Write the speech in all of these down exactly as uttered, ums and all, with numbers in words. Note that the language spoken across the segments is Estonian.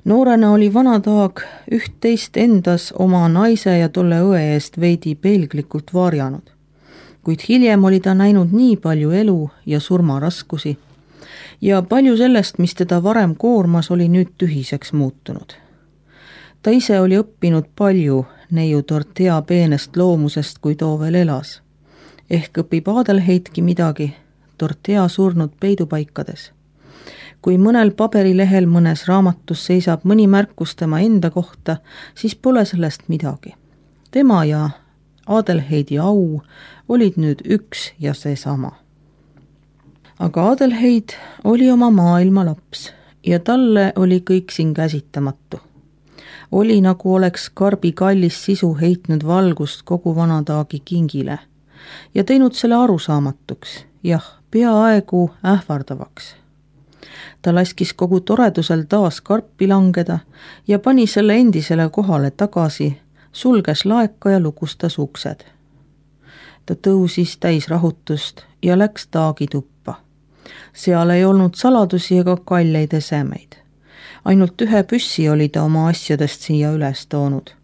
Noorena oli vana Taag üht-teist endas oma naise ja tolle õe eest veidi peelglikult varjanud, kuid hiljem oli ta näinud nii palju elu ja surmaraskusi ja palju sellest, mis teda varem koormas, oli nüüd tühiseks muutunud. Ta ise oli õppinud palju neiu Dorothea peenest loomusest, kui too veel elas. Ehk õpib Adelheidki midagi Dorothea surnud peidupaikades. Kui mõnel paberilehel mõnes raamatus seisab mõni märkus tema enda kohta, siis pole sellest midagi. Tema ja Adelheidi au olid nüüd üks ja seesama. Aga Adelheid oli oma maailma laps ja talle oli kõik siin käsitamatu. Oli nagu oleks karbi kallis sisu heitnud valgust kogu vana Taagi kingile ja teinud selle arusaamatuks, jah, peaaegu ähvardavaks. Ta laskis kogu toredusel taas karpi langeda ja pani selle endisele kohale tagasi, sulges laeka ja lukustas uksed. Ta tõusis täis rahutust ja läks Taagi tuppa. Seal ei olnud saladusi ega kalleid esemeid. Ainult ühe püssi oli ta oma asjadest siia üles toonud.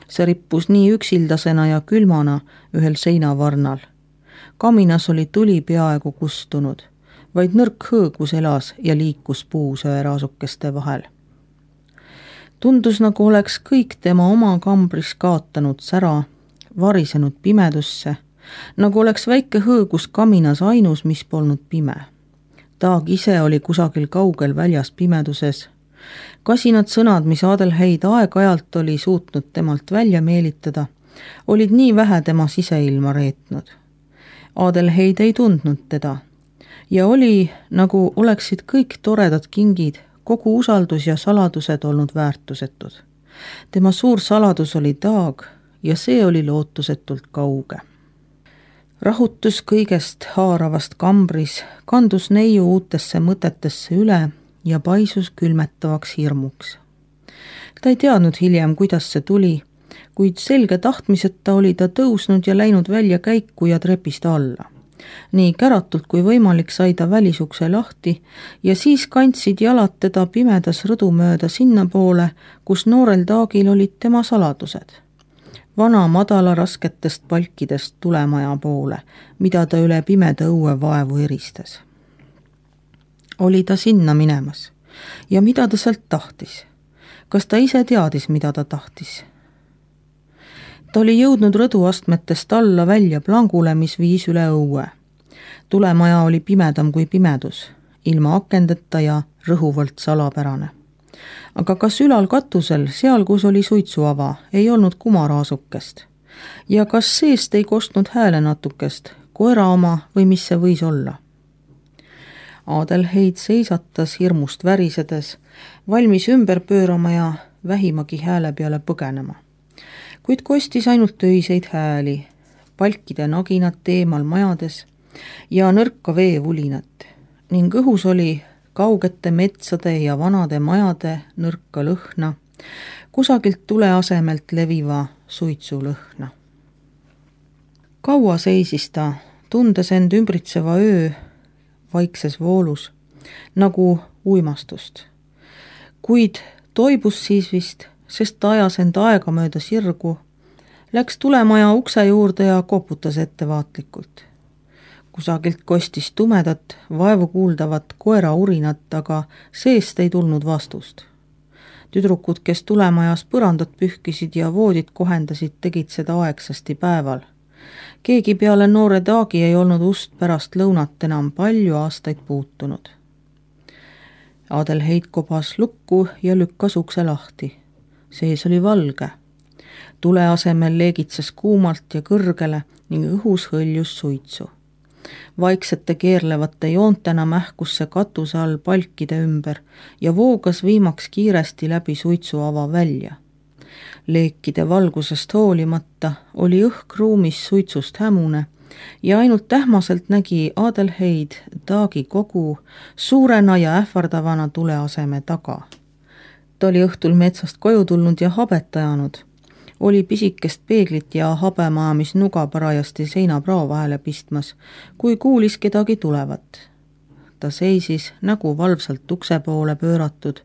See rippus nii üksildasena ja külmana ühel seinavarnal. Kaminas oli tuli peaaegu kustunud, vaid nõrk hõõgus elas ja liikus puusöe raasukeste vahel. Tundus, nagu oleks kõik tema oma kambris kaotanud sära, varisenud pimedusse, nagu oleks väike hõõgus kaminas ainus, mis polnud pime. Taag ise oli kusagil kaugel väljas pimeduses. Kasinad sõnad, mis Adelheid aeg-ajalt oli suutnud temalt välja meelitada, olid nii vähe tema siseilma reetnud. Adelheid ei tundnud teda ja oli, nagu oleksid kõik toredad kingid, kogu usaldus ja saladused olnud väärtusetud. Tema suur saladus oli Taag ja see oli lootusetult kauge. Rahutus kõigest haaravast kambris kandus neiu uutesse mõtetesse üle ja paisus külmetavaks hirmuks. Ta ei teadnud hiljem, kuidas see tuli, kuid selge tahtmiseta oli ta tõusnud ja läinud välja käiku ja trepist alla. Nii käratult kui võimalik sai ta välisukse lahti ja siis kandsid jalad teda pimedas rõdu mööda sinna poole, kus noorel Taagil olid tema saladused. Vana madala rasketest palkidest tulemaja poole, mida ta üle pimeda õue vaevu eristas. Oli ta sinna minemas ja mida ta sealt tahtis? Kas ta ise teadis, mida ta tahtis? Ta oli jõudnud rõduastmetest alla välja plangule, mis viis üle õue. Tulemaja oli pimedam kui pimedus, ilma akendeta ja rõhuvalt salapärane. Aga kas ülal katusel, seal kus oli suitsuava, ei olnud kumaraasukest? Ja kas seest ei kostnud hääle natukest, koera oma või mis see võis olla? Adelheid seisatas hirmust värisedes, valmis ümber pöörama ja vähimagi hääle peale põgenema. Kuid kostis ainult öiseid hääli, palkide naginat teemal majades ja nõrka veevulinat ning õhus oli kaugete metsade ja vanade majade nõrka lõhna, kusagilt tule asemelt leviva suitsu lõhna. Kaua seisis ta, tundes end ümbritseva öö vaikses voolus, nagu uimastust. Kuid toibus siis vist, sest ta ajas end aega mööda sirgu, läks tulemaja ukse juurde ja koputas ettevaatlikult. Kusagilt kostis tumedat, vaevu kuuldavat koera urinat, aga seest ei tulnud vastust. Tüdrukud, kes tulemajas põrandat pühkisid ja voodit kohendasid, tegid seda aegsasti päeval. Keegi peale noore Taagi ei olnud ust pärast lõunat enam palju aastaid puutunud. Adelheid kobas lukku ja lükkas ukse lahti. Sees oli valge. Tule asemel leegitses kuumalt ja kõrgele ning õhus hõljus suitsu. Vaiksete keerlevate joontena mähkus see katuse all palkide ümber ja voogas viimaks kiiresti läbi suitsuava välja. Leekide valgusest hoolimata oli õhk ruumis suitsust hämune ja ainult tähmaselt nägi Adelheid Taagi kogu suurena ja ähvardavana tule aseme taga. Ta oli õhtul metsast koju tulnud ja habet ajanud. Oli pisikest peeglit ja habemaa, mis nuga parajasti seinaprao vahele pistmas, kui kuulis kedagi tulevat. ta seisis nägu valvsalt ukse poole pööratud,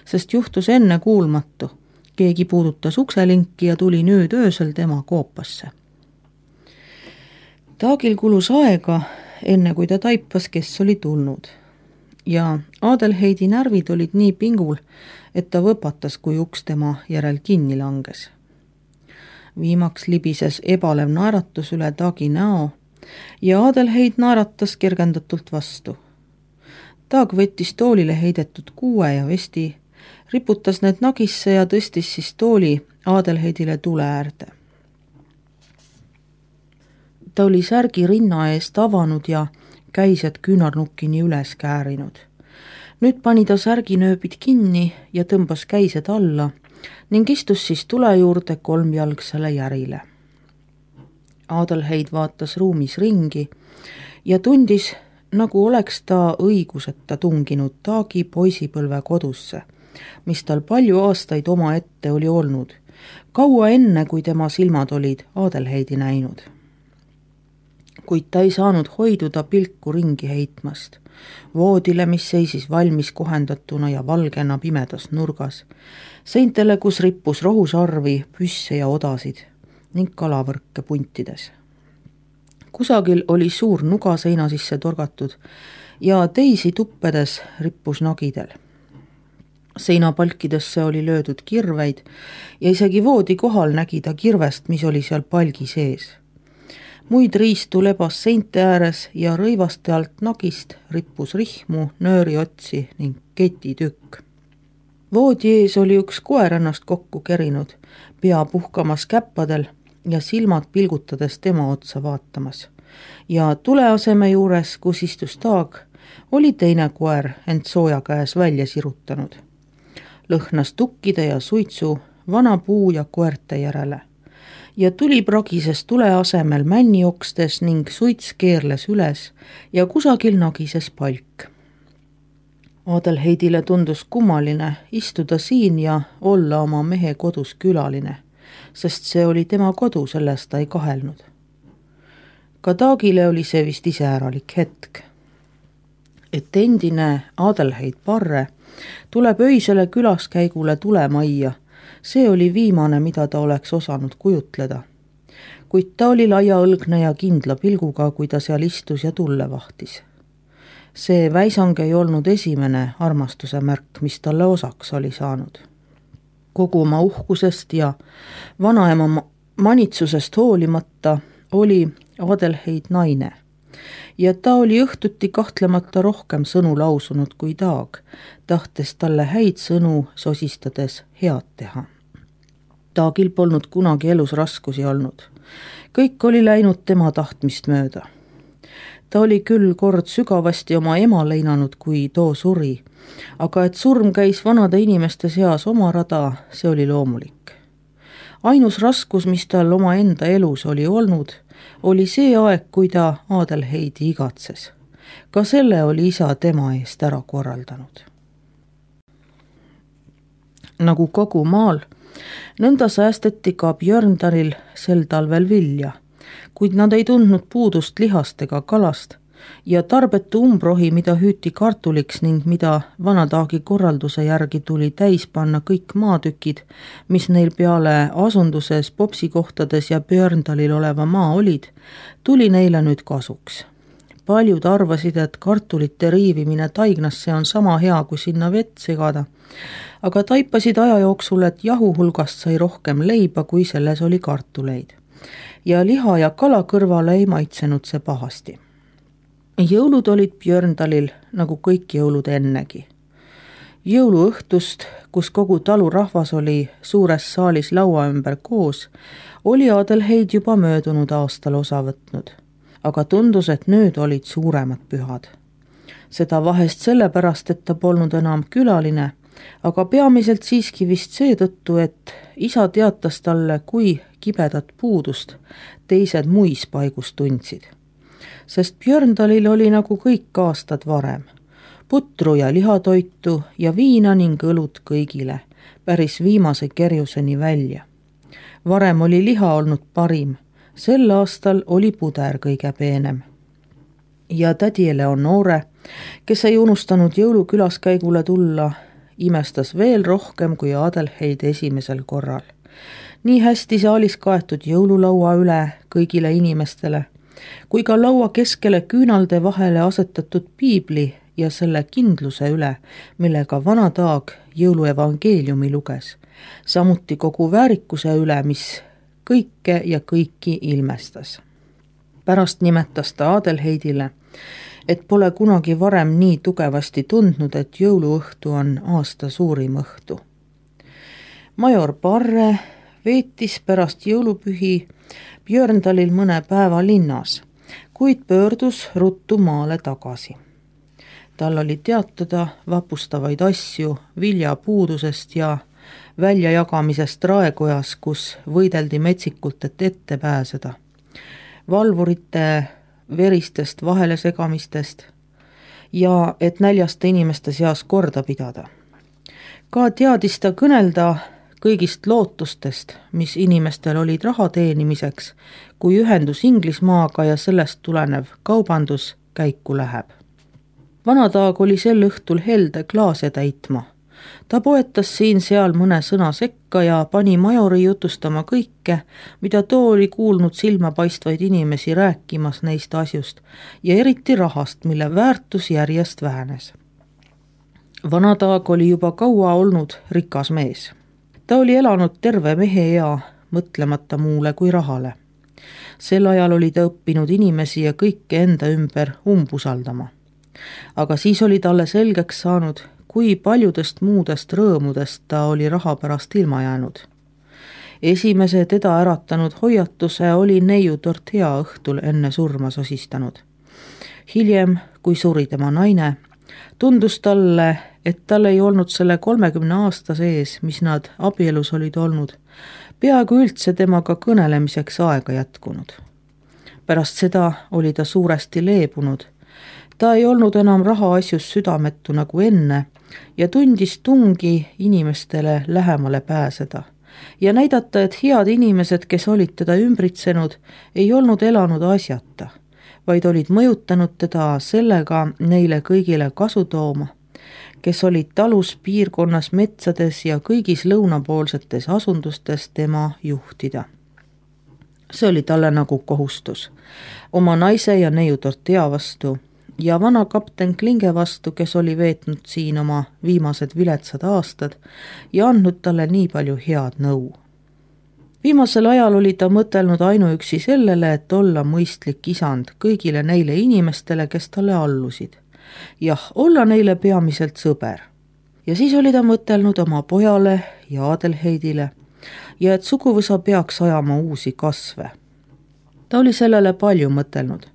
sest juhtus enne kuulmatu. Keegi puudutas ukselinki ja tuli nüüd öösel tema koopasse. Taagil kulus aega, enne kui ta taipas, kes oli tulnud. Ja Adelheidi närvid olid nii pingul, et ta võpatas, kui uks tema järel kinni langes. Viimaks libises ebalev naeratus üle Taagi näo ja Adelheid naeratas kergendatult vastu. Taag võttis toolile heidetud kuue ja vesti, riputas need nagisse ja tõstis siis tooli Adelheidile tule äärde. Ta oli särgi rinna eest avanud ja käised küünarnukkini üles käärinud. Nüüd pani ta särginööbid kinni ja tõmbas käised alla ning istus siis tule juurde kolmjalgsele järile. Adelheid vaatas ruumis ringi ja tundis, nagu oleks ta õiguseta tunginud Taagi poisipõlve kodusse, mis tal palju aastaid oma ette oli olnud, kaua enne, kui tema silmad olid Adelheidi näinud. Kuid ta ei saanud hoiduda pilku ringi heitmast, voodile, mis seisis valmis kohendatuna ja valgena pimedas nurgas, seintele, kus rippus rohusarvi, püsse ja odasid ning kalavõrke puntides. Kusagil oli suur nuga seina sisse torgatud ja teisi tuppedes rippus nagidel. Seinapalkidesse oli löödud kirveid ja isegi voodi kohal nägi ta kirvest, mis oli seal palgi sees. Muid riistu lebas seinte ääres ja rõivaste alt nagist rippus rihmu, nööriotsi ning ketitükk. Voodi ees oli üks koer ennast kokku kerinud, pea puhkamas käppadel ja silmad pilgutades tema otsa vaatamas. Ja tuleaseme juures, kus istus Taag, oli teine koer ent sooja käes välja sirutanud. Lõhnas tukkide ja suitsu, vana puu ja koerte järele. Ja tuli pragises tule asemel männi okstes ning suits keerles üles ja kusagil nagises palk. Adelheidile tundus kummaline istuda siin ja olla oma mehe kodus külaline, sest see oli tema kodu, sellest ta ei kahelnud. Ka Taagile oli see vist iseäralik hetk, et endine Adelheid Parre tuleb öisele külaskäigule tulemajja. See oli viimane, mida ta oleks osanud kujutleda. Kuid ta oli laiaõlgne ja kindla pilguga, kui ta seal istus ja tulle vahtis. See väisang ei olnud esimene armastuse märk, mis talle osaks oli saanud. Kogu oma uhkusest ja vanaema manitsusest hoolimata oli Adelheid naine. Ja ta oli õhtuti kahtlemata rohkem sõnu lausunud kui Taag, tahtes talle häid sõnu sosistades head teha. Taagil polnud kunagi elus raskusi olnud. Kõik oli läinud tema tahtmist mööda. Ta oli küll kord sügavasti oma ema leinanud, kui too suri, aga et surm käis vanade inimeste seas oma rada, see oli loomulik. Ainus raskus, mis tal oma enda elus oli olnud, oli see aeg, kui ta Adelheidi igatses. Ka selle oli isa tema eest ära korraldanud. Nagu kogu maal, nõnda säästeti ka Björndalil sel talvel vilja, kuid nad ei tundnud puudust lihast ega kalast ja tarbetu umbrohi, mida hüüti kartuliks ning mida vana Taagi korralduse järgi tuli täis panna kõik maatükid, mis neil peale asunduses, popsikohtades ja Björndalil oleva maa olid, tuli neile nüüd kasuks. Paljud arvasid, et kartulite riivimine taignasse on sama hea, kui sinna vett segada, aga taipasid aja jooksul, et jahu hulgast sai rohkem leiba, kui selles oli kartuleid. Ja liha ja kala kõrvale ei maitsenud see pahasti. Jõulud olid Björndalil nagu kõik jõulud ennegi. Jõuluõhtust, kus kogu talu rahvas oli suures saalis laua ümber koos, oli Adelheid juba möödunud aastal osa võtnud, aga tundus, et nüüd olid suuremad pühad. Seda vahest sellepärast, et ta polnud enam külaline, aga peamiselt siiski vist seetõttu, et isa teatas talle, kui kibedat puudust teised muispaigus tundsid. Sest Björndalil oli nagu kõik aastad varem. Putru ja lihatoitu ja viina ning õlut kõigile, päris viimase kerjuseni välja. Varem oli liha olnud parim, sel aastal oli puder kõige peenem. Ja tädi Eleonore kes ei unustanud jõulukülaskäigule tulla, imestas veel rohkem kui Adelheid esimesel korral. Nii hästi saalis kaetud jõululaua üle kõigile inimestele, kui ka laua keskele küünalde vahele asetatud piibli ja selle kindluse üle, millega vana Taag jõuluevangeeliumi luges, samuti kogu väärikuse üle, mis kõike ja kõiki ilmestas. Pärast nimetas ta Adelheidile, et pole kunagi varem nii tugevasti tundnud, et jõuluõhtu on aasta suurim õhtu. Major Parre veetis pärast jõulupühi Björndalil mõne päeva linnas, kuid pöördus ruttu maale tagasi. Tal oli teatada vapustavaid asju viljapuudusest ja väljajagamisest Raekojas, kus võideldi metsikult, et ette pääseda. Valvurite veristest vahelesegamistest ja et näljaste inimeste seas korda pidada. Ka teadis ta kõnelda kõigist lootustest, mis inimestel olid raha teenimiseks, kui ühendus Inglismaaga ja sellest tulenev kaubandus käiku läheb. Vana Taag oli sel õhtul helde klaase täitma. Ta poetas siin-seal mõne sõna sekka ja pani majori jutustama kõike, mida too oli kuulnud silmapaistvaid inimesi rääkimas neist asjust ja eriti rahast, mille väärtus järjest vähenes. Vana Taag oli juba kaua olnud rikas mees. Ta oli elanud terve mehe ea, mõtlemata muule kui rahale. Sel ajal oli ta õppinud inimesi ja kõike enda ümber umbusaldama. Aga siis oli talle selgeks saanud, kui paljudest muudest rõõmudest ta oli raha pärast ilma jäänud. Esimese teda äratanud hoiatuse oli neiutort hea õhtul enne surma sosistanud. Hiljem, kui suri tema naine, tundus talle, et tal ei olnud selle kolmekümne aasta sees, mis nad abielus olid olnud, peaaegu üldse temaga kõnelemiseks aega jätkunud. Pärast seda oli ta suuresti leebunud. Ta ei olnud enam rahaasjus südametu nagu enne ja tundis tungi inimestele lähemale pääseda ja näidata, et head inimesed, kes olid teda ümbritsenud, ei olnud elanud asjata, vaid olid mõjutanud teda sellega neile kõigile kasu tooma, kes olid talus, piirkonnas, metsades ja kõigis lõunapoolsetes asundustes tema juhtida. See oli talle nagu kohustus oma naise ja neiutortea vastu ja vana kapten Klinge vastu, kes oli veetnud siin oma viimased viletsad aastad ja andnud talle nii palju head nõu. Viimasel ajal oli ta mõtelnud ainuüksi sellele, et olla mõistlik isand kõigile neile inimestele, kes talle allusid. Jah, olla neile peamiselt sõber. Ja siis oli ta mõtelnud oma pojale ja Adelheidile ja et suguvõsa peaks ajama uusi kasve. Ta oli sellele palju mõtelnud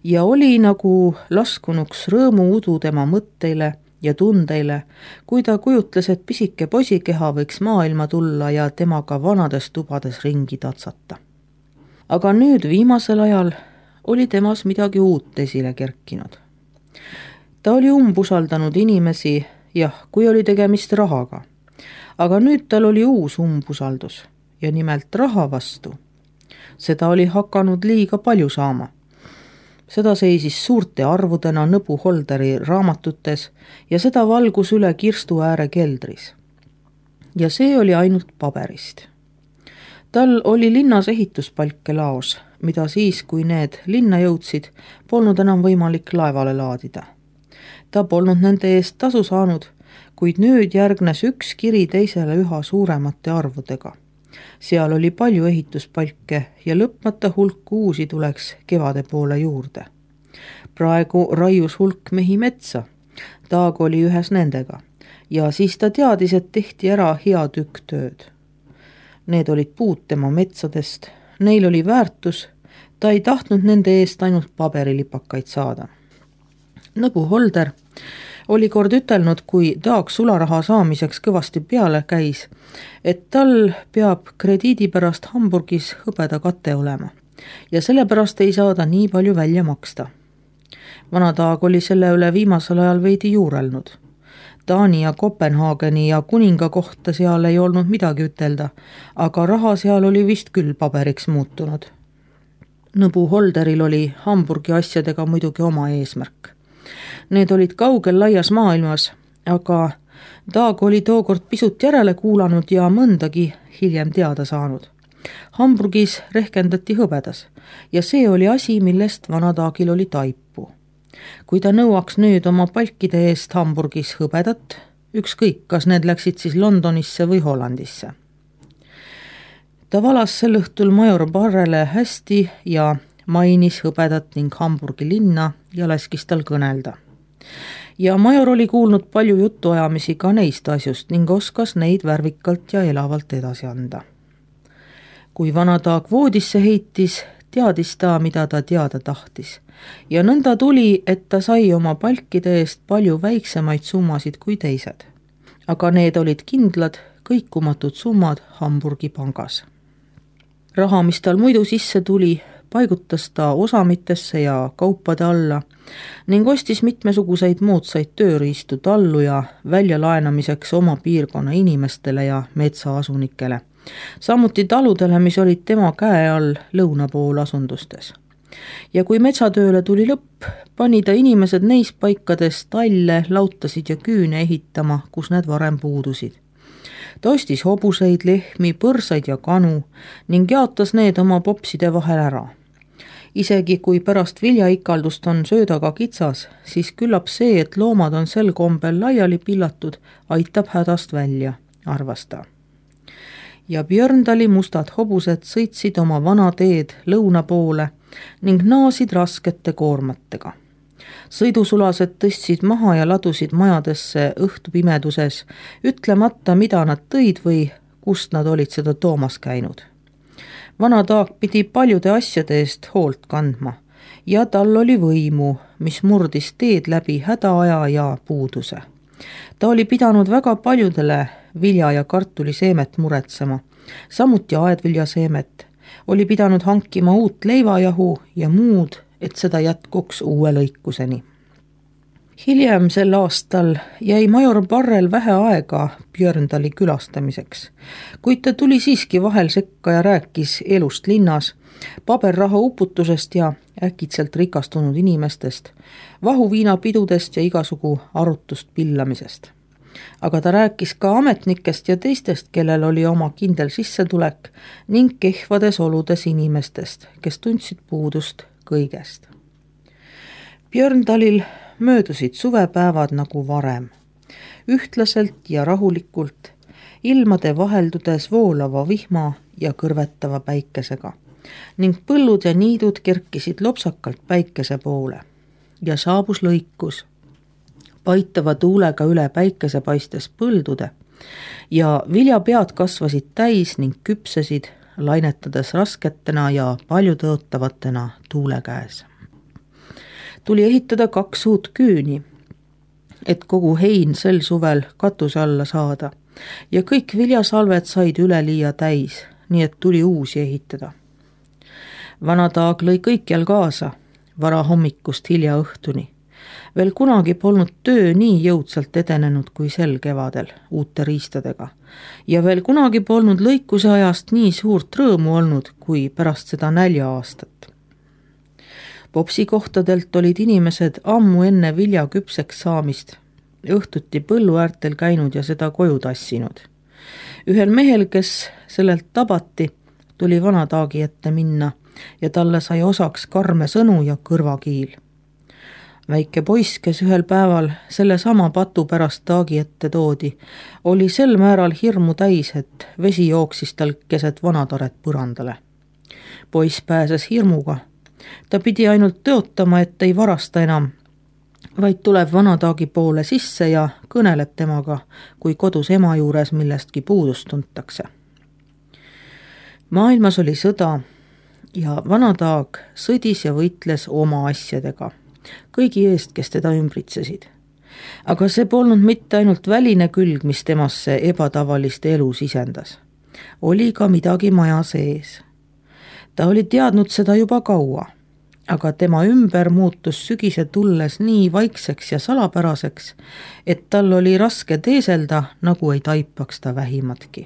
ja oli nagu laskunuks rõõmu udu tema mõtteile ja tundeile, kui ta kujutles, et pisike poisikeha võiks maailma tulla ja temaga vanades tubades ringi tatsata. Aga nüüd viimasel ajal oli temas midagi uut esile kerkinud. Ta oli umbusaldanud inimesi, jah, kui oli tegemist rahaga. Aga nüüd tal oli uus umbusaldus ja nimelt raha vastu. Seda oli hakanud liiga palju saama. Seda seisis suurte arvudena Nõbu Holderi raamatutes ja seda valgus üle kirstu ääre keldris. Ja see oli ainult paberist. Tal oli linnas ehituspalke laos, mida siis, kui need linna jõudsid, polnud enam võimalik laevale laadida. Ta polnud nende eest tasu saanud, kuid nüüd järgnes üks kiri teisele üha suuremate arvudega. Seal oli palju ehituspalke ja lõpmata hulk uusi tuleks kevade poole juurde. Praegu raius hulk mehi metsa. Taag oli ühes nendega ja siis ta teadis, et tehti ära hea tükk tööd. Need olid puud tema metsadest, neil oli väärtus, ta ei tahtnud nende eest ainult paberilipakaid saada. Nõbu Holder oli kord ütelnud, kui Taag sularaha saamiseks kõvasti peale käis, et tal peab krediidi pärast Hamburgis hõbeda kate olema ja sellepärast ei saada nii palju välja maksta. Vana Taag oli selle üle viimasel ajal veidi juurelnud. Taani ja Kopenhaageni ja kuninga kohta seal ei olnud midagi ütelda, aga raha seal oli vist küll paberiks muutunud. Nõbu Holderil oli Hamburgi asjadega muidugi oma eesmärk. Need olid kaugel laias maailmas, aga Taag oli tookord pisut järele kuulanud ja mõndagi hiljem teada saanud. Hamburgis rehkendati hõbedas ja see oli asi, millest vana Taagil oli taipu. Kui ta nõuaks nüüd oma palkide eest Hamburgis hõbedat, ükskõik, kas need läksid siis Londonisse või Hollandisse. Ta valas sel õhtul major Barrele hästi ja mainis hõbedat ning Hamburgi linna ja laskis tal kõnelda. Ja major oli kuulnud palju jutuajamisi ka neist asjust ning oskas neid värvikalt ja elavalt edasi anda. Kui vana Taag voodisse heitis, teadis ta, mida ta teada tahtis. Ja nõnda tuli, et ta sai oma palkide eest palju väiksemaid summasid kui teised. Aga need olid kindlad, kõikumatud summad Hamburgi pangas. Raha, mis tal muidu sisse tuli, paigutas ta osamitesse ja kaupade alla ning ostis mitmesuguseid moodsaid tööriistu tallu ja väljalaenamiseks oma piirkonna inimestele ja metsaasunikele. Samuti taludele, mis olid tema käe all lõuna pool asundustes. Ja kui metsatööle tuli lõpp, pani ta inimesed neis paikades talle, lautasid ja küüne ehitama, kus need varem puudusid. Ta ostis hobuseid, lehmi, põrsaid ja kanu ning jaotas need oma popside vahel ära. Isegi kui pärast viljaikaldust on söödaga kitsas, siis küllap see, et loomad on sel kombel laiali pillatud, aitab hädast välja, arvas ta. Ja Björndali mustad hobused sõitsid oma vana teed lõuna poole ning naasid raskete koormatega. Sõidusulased tõstsid maha ja ladusid majadesse õhtupimeduses, ütlemata, mida nad tõid või kust nad olid seda toomas käinud. Vana Taag pidi paljude asjade eest hoolt kandma ja tal oli võimu, mis murdis teed läbi hädaaja ja puuduse. Ta oli pidanud väga paljudele vilja- ja kartuliseemet muretsema, samuti aedviljaseemet, oli pidanud hankima uut leivajahu ja muud, et seda jätkuks uue lõikuseni. Hiljem sel aastal jäi major Barrel vähe aega Björndali külastamiseks, kuid ta tuli siiski vahel sekka ja rääkis elust linnas, paberraha uputusest ja äkitselt rikastunud inimestest, vahuviinapidudest ja igasugu arutust pillamisest. Aga ta rääkis ka ametnikest ja teistest, kellel oli oma kindel sissetulek ning kehvades oludes inimestest, kes tundsid puudust kõigest. Björndalil möödusid suvepäevad nagu varem, ühtlaselt ja rahulikult, ilmade vaheldudes voolava vihma ja kõrvetava päikesega ning põllud ja niidud kerkisid lopsakalt päikese poole ja saabus lõikus, paitava tuulega üle päikese paistes põldude ja viljapead kasvasid täis ning küpsesid, lainetades rasketena ja paljutõotavatena tuule käes. Tuli ehitada kaks uut küüni, et kogu hein sel suvel katuse alla saada ja kõik viljasalved said üleliia täis, nii et tuli uusi ehitada. Vana Taag lõi kõikjal kaasa, vara hommikust hilja õhtuni. Veel kunagi polnud töö nii jõudsalt edenenud kui sel kevadel uute riistadega ja veel kunagi polnud lõikuse ajast nii suurt rõõmu olnud kui pärast seda nälja aastat. Popsikohtadelt olid inimesed ammu enne vilja küpseks saamist õhtuti põllu äärtel käinud ja seda koju tassinud. Ühel mehel, kes sellelt tabati, tuli vana Taagi ette minna ja talle sai osaks karme sõnu ja kõrvakiil. Väike poiss, kes ühel päeval selle sama patu pärast Taagi ette toodi, oli sel määral hirmu täis, et vesi jooksis tal keset vanataret põrandale. Poiss pääses hirmuga. Ta pidi ainult tõotama, et ei varasta enam, vaid tuleb vana Taagi poole sisse ja kõneleb temaga, kui kodus ema juures millestki puudust tuntakse. Maailmas oli sõda ja vana Taag sõdis ja võitles oma asjadega, kõigi eest, kes teda ümbritsesid. Aga see polnud mitte ainult väline külg, mis temasse ebatavalist elu sisendas. Oli ka midagi maja sees. Ta oli teadnud seda juba kaua, aga tema ümber muutus sügise tulles nii vaikseks ja salapäraseks, et tal oli raske teeselda, nagu ei taipaks ta vähimatki.